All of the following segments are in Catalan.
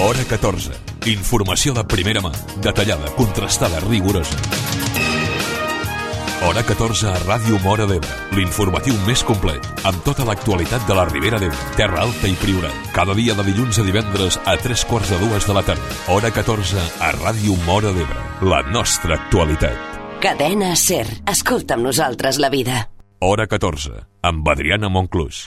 Hora 14. Informació de primera mà, detallada, contrastada, rigorosa. Hora 14 a Ràdio Móra d'Ebre, l'informatiu més complet, amb tota l'actualitat de la Ribera d'Ebre, Terra Alta i Priorat. Cada dia de dilluns a divendres a 3:45 de la tarda. Hora 14 a Ràdio Móra d'Ebre, la nostra actualitat. Cadena SER. Escolta amb nosaltres la vida. Hora 14, amb Adriana Monclús.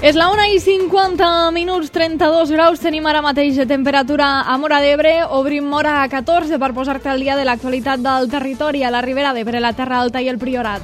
És la 1:50, 32 graus tenim ara mateix de temperatura a Móra d'Ebre. Obrim Móra a 14 per posar-te al dia de l'actualitat del territori a la Ribera d'Ebre, la Terra Alta i el Priorat.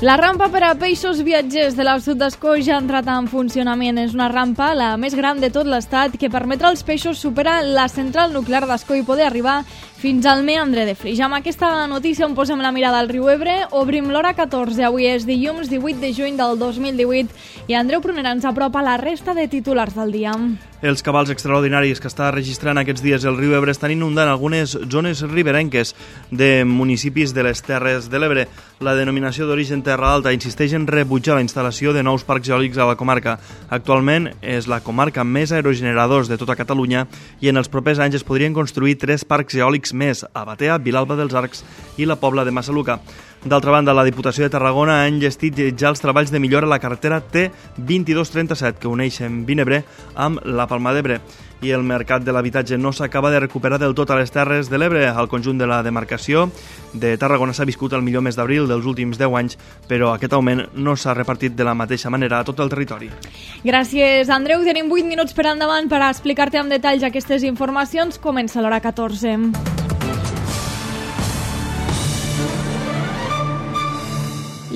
La rampa per a peixos viatgers de la Sud d'Ascó ja ha entrat en funcionament. És una rampa, la més gran de tot l'estat, que permetrà als peixos superar la central nuclear d'Ascó i poder arribar fins al meandre de Flix. Amb aquesta notícia on posem la mirada al riu Ebre, obrim l'hora 14. Avui és dilluns 18 de juny del 2018 i Andreu Prunera ens apropa la resta de titulars del dia. Els cabals extraordinaris que està registrant aquests dies el riu Ebre estan inundant algunes zones riberenques de municipis de les Terres de l'Ebre. La denominació d'origen Terra Alta insisteix en rebutjar la instal·lació de nous parcs eòlics a la comarca. Actualment és la comarca amb més aerogeneradors de tota Catalunya i en els propers anys es podrien construir 3 parcs eòlics més, a Batea, Vilalba dels Arcs i la Pobla de Massaluca. D'altra banda, la Diputació de Tarragona ha enllestit ja els treballs de millora a la carretera T2237 que uneix Vinebre amb la Palma d'Ebre. I el mercat de l'habitatge no s'acaba de recuperar del tot a les Terres de l'Ebre. Al conjunt de la demarcació de Tarragona s'ha viscut el millor mes d'abril dels últims 10 anys, però aquest augment no s'ha repartit de la mateixa manera a tot el territori. Gràcies, Andreu. Tenim 8 minuts per endavant per explicar-te amb detalls aquestes informacions. Comença l'hora 14.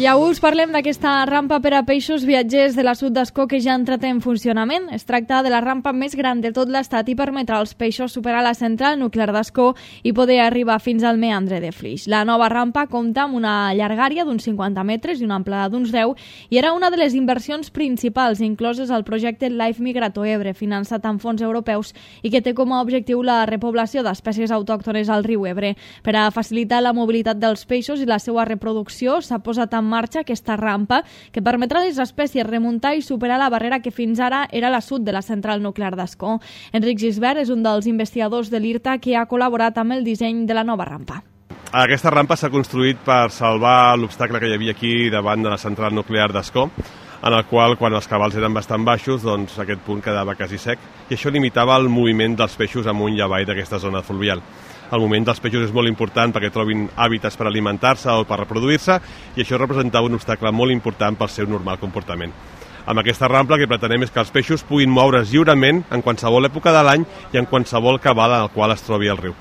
I avui us parlem d'aquesta rampa per a peixos viatgers de la Sud d'Ascó que ja ha entrat en funcionament. Es tracta de la rampa més gran de tot l'estat i permetrà als peixos superar la central nuclear d'Ascó i poder arribar fins al meandre de Flix. La nova rampa compta amb una llargària d'uns 50 metres i una amplada d'uns 10 i era una de les inversions principals incloses al projecte Life Migrato Ebre, finançat amb fons europeus i que té com a objectiu la repoblació d'espècies autòctones al riu Ebre. Per a facilitar la mobilitat dels peixos i la seva reproducció s'ha posat en marxa aquesta rampa que permetrà a les espècies remuntar i superar la barrera que fins ara era la sud de la central nuclear d'Ascó. Enric Gisbert és un dels investigadors de l'IRTA que ha col·laborat amb el disseny de la nova rampa. Aquesta rampa s'ha construït per salvar l'obstacle que hi havia aquí davant de la central nuclear d'Ascó, en el qual, quan els cabals eren bastant baixos, doncs aquest punt quedava quasi sec, i això limitava el moviment dels peixos amunt i avall d'aquesta zona fluvial. El moviment dels peixos és molt important perquè trobin hàbitats per alimentar-se o per reproduir-se i això representava un obstacle molt important pel seu normal comportament. Amb aquesta rampa el que pretenem és que els peixos puguin moure's lliurement en qualsevol època de l'any i en qualsevol cabal en el qual es trobi el riu.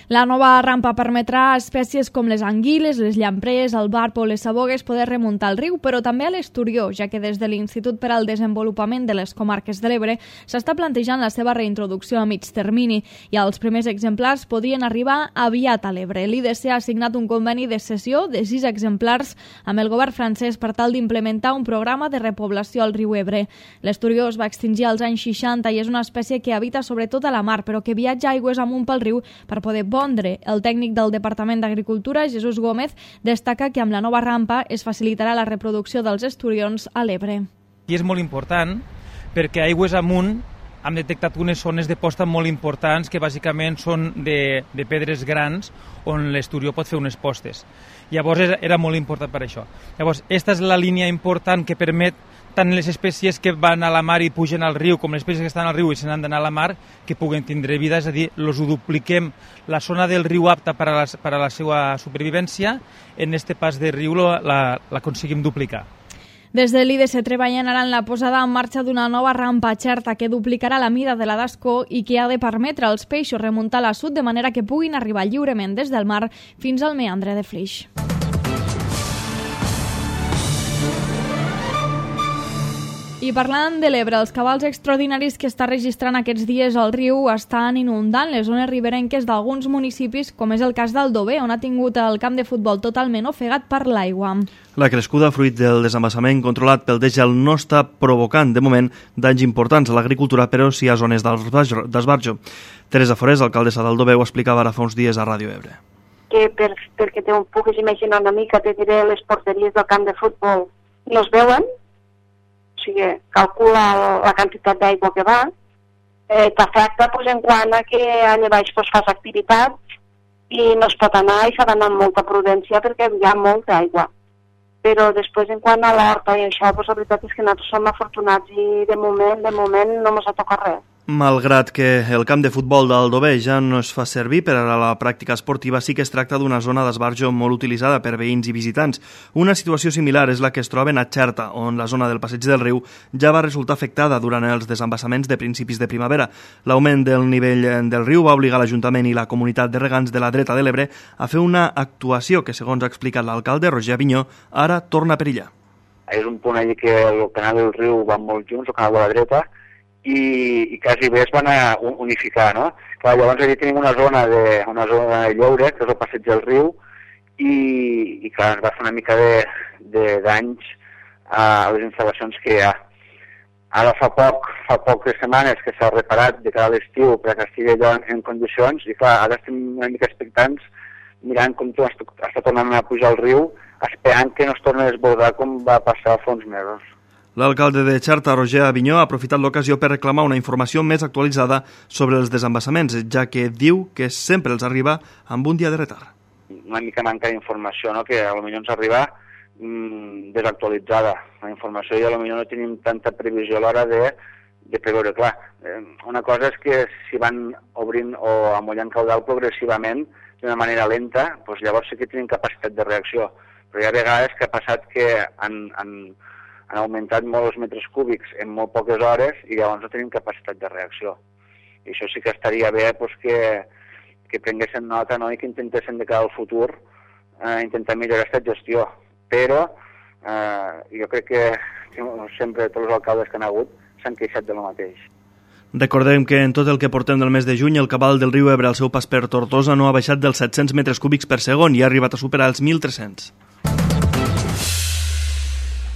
La nova rampa permetrà a espècies com les anguiles, les llamprees, el barb o les sabogues poder remuntar al riu, però també a l'esturió, ja que des de l'Institut per al Desenvolupament de les Comarques de l'Ebre s'està plantejant la seva reintroducció a mig termini i els primers exemplars podrien arribar aviat a l'Ebre. L'IDC ha signat un conveni de cessió de 6 exemplars amb el govern francès per tal d'implementar un programa de repoblació al riu Ebre. L'esturió es va extingir als anys 60 i és una espècie que habita sobretot a la mar, però que viatja aigües amunt pel riu per poder pondre. El tècnic del Departament d'Agricultura, Jesús Gómez, destaca que amb la nova rampa es facilitarà la reproducció dels esturions a l'Ebre. I és molt important perquè aigües amunt hem detectat unes zones de posta molt importants que bàsicament són de pedres grans on l'esturió pot fer unes postes. Llavors era molt important per això. Llavors, aquesta és la línia important que permet tant les espècies que van a la mar i pugen al riu com les espècies que estan al riu i se n'han d'anar a la mar que puguen tindre vida, és a dir, els ho dupliquem. La zona del riu apta per a la seva supervivència, en este pas de riu l'aconseguim duplicar. Des de l'IDC treballen ara en la posada en marxa d'una nova rampa xerta que duplicarà la mida de la d'Ascó i que ha de permetre als peixos remuntar a la sud de manera que puguin arribar lliurement des del mar fins al meandre de Flix. I parlant de l'Ebre, els cabals extraordinaris que està registrant aquests dies al riu estan inundant les zones riberenques d'alguns municipis, com és el cas d'Aldover, on ha tingut el camp de futbol totalment ofegat per l'aigua. La crescuda fruit del desembassament controlat pel degel no està provocant, de moment, danys importants a l'agricultura, però sí a zones d'esbarjo. Teresa Forés, alcaldessa d'Aldover, ho explicava ara fa uns dies a Ràdio Ebre. que perquè te puguis imaginar una mica, te diré, les porteries del camp de futbol no es veuen, o sigui, calcula la quantitat d'aigua que va, t'afecta en quant a que allà baix fas activitat i no es pot anar i s'ha d'anar amb molta prudència perquè hi ha molta aigua. Però després, en quant a l'horta i això, la veritat és que nosaltres som afortunats i de moment no ens ha tocat res. Malgrat que el camp de futbol d'Aldover ja no es fa servir per a la pràctica esportiva, sí que es tracta d'una zona d'esbarjo molt utilitzada per veïns i visitants. Una situació similar és la que es troba a Xerta, on la zona del passeig del riu ja va resultar afectada durant els desembassaments de principis de primavera. L'augment del nivell del riu va obligar l'Ajuntament i la comunitat de regants de la dreta de l'Ebre a fer una actuació que, segons ha explicat l'alcalde Roger Avinyó, ara torna a perillar. És un punt allà que el canal del riu van molt junts, el canal de la dreta, i quasi bé es van unificar, no? Clar, llavors allà tenim una zona de lloure, que és el passeig del riu, i clar, ens va fer una mica de danys a les instal·lacions que hi ha. Ara fa poques setmanes que s'ha reparat de cara a l'estiu perquè estigui allò en condicions, i clar, ara estem una mica expectants mirant com està tornant a pujar el riu, esperant que no es torni a desbordar com va passar fa uns mesos. L'alcalde de Xerta, Roger Avinyó, ha aprofitat l'ocasió per reclamar una informació més actualitzada sobre els desembassaments, ja que diu que sempre els arriba amb un dia de retard. Una mica manca d'informació, no? Que potser ens arriba desactualitzada la informació i potser no tenim tanta previsió a l'hora de preveure. Clar, una cosa és que si van obrint o amollant caudal progressivament d'una manera lenta, doncs llavors sí que tenim capacitat de reacció. Però hi ha vegades que ha passat que han augmentat molt els metres cúbics en molt poques hores i llavors no tenim capacitat de reacció. I això sí que estaria bé que prenguessin nota, no? I que intentessin de cara al futur intentar millorar aquesta gestió. Però jo crec que sempre tots els alcaldes que han hagut s'han queixat de lo mateix. Recordem que en tot el que portem del mes de juny el cabal del riu Ebre al seu pas per Tortosa no ha baixat dels 700 metres cúbics per segon i ha arribat a superar els 1.300.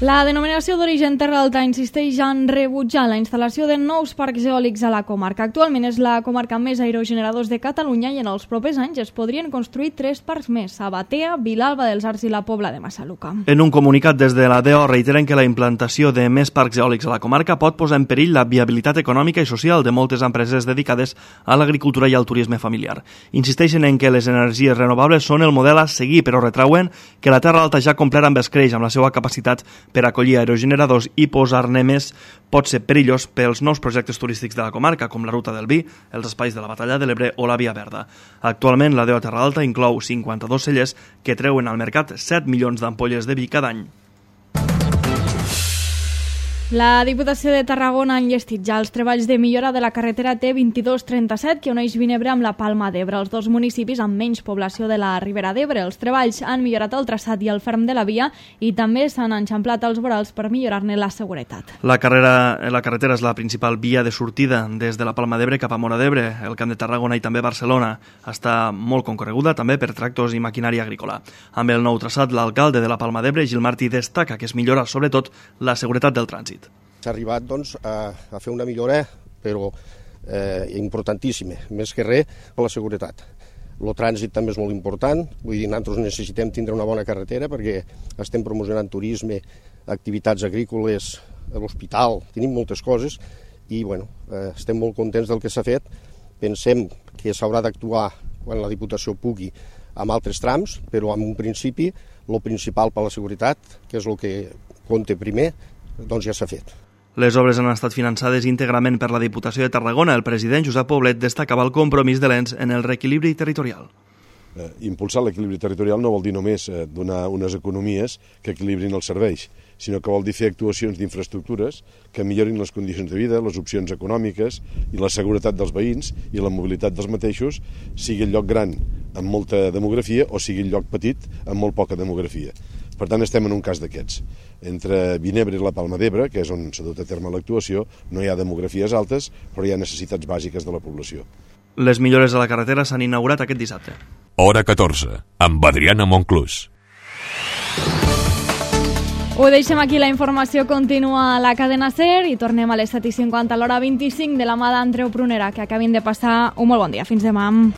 La denominació d'origen Terra Alta insisteix en rebutjar la instal·lació de nous parcs eòlics a la comarca. Actualment és la comarca amb més aerogeneradors de Catalunya i en els propers anys es podrien construir 3 parcs més, a Batea, Vilalba dels Arcs i la Pobla de Massaluca. En un comunicat des de la DEO reiteren que la implantació de més parcs eòlics a la comarca pot posar en perill la viabilitat econòmica i social de moltes empreses dedicades a l'agricultura i al turisme familiar. Insisteixen en que les energies renovables són el model a seguir, però retrauen que la Terra Alta ja ha complert amb escreix amb la seva capacitat per acollir aerogeneradors i posar-ne més pot ser perillós pels nous projectes turístics de la comarca, com la Ruta del Vi, els espais de la Batalla de l'Ebre o la Via Verda. Actualment, la DEO Terra Alta inclou 52 cellers que treuen al mercat 7 milions d'ampolles de vi cada any. La Diputació de Tarragona ha enllestit ja els treballs de millora de la carretera T2237 que uneix Vinebre amb la Palma d'Ebre, els dos municipis amb menys població de la Ribera d'Ebre. Els treballs han millorat el traçat i el ferm de la via i també s'han enxamplat els vorals per millorar-ne la seguretat. La carretera és la principal via de sortida des de la Palma d'Ebre cap a Móra d'Ebre, el Camp de Tarragona i també Barcelona. Està molt concorreguda també per tractors i maquinària agrícola. Amb el nou traçat, l'alcalde de la Palma d'Ebre, Gil Martí, destaca que es millora sobretot la seguretat del trànsit. S'ha arribat a fer una millora, però importantíssima, més que res per la seguretat. El trànsit també és molt important, vull dir, nosaltres necessitem tindre una bona carretera perquè estem promocionant turisme, activitats agrícoles, l'hospital, tenim moltes coses i estem molt contents del que s'ha fet. Pensem que s'haurà d'actuar quan la Diputació pugui amb altres trams, però en un principi el principal per la seguretat, que és el que compta primer, doncs ja s'ha fet. Les obres han estat finançades íntegrament per la Diputació de Tarragona. El president Josep Poblet destacava el compromís de l'ENS en el reequilibri territorial. Impulsar l'equilibri territorial no vol dir només donar unes economies que equilibrin els serveis, sinó que vol dir fer actuacions d'infraestructures que millorin les condicions de vida, les opcions econòmiques i la seguretat dels veïns i la mobilitat dels mateixos, sigui el lloc gran amb molta demografia o sigui el lloc petit amb molt poca demografia. Per tant, estem en un cas d'aquests. Entre Vinebre i la Palma d'Ebre, que és on s'ha dut a terme l'actuació, no hi ha demografies altes, però hi ha necessitats bàsiques de la població. Les millores a la carretera s'han inaugurat aquest dissabte. Hora 14, amb Adriana Monclús. Ho deixem aquí, la informació continua a la cadena SER i tornem a les 7:50 a l'hora 25 de la mà d'Andreu Prunera. Que acabin de passar un molt bon dia. Fins demà.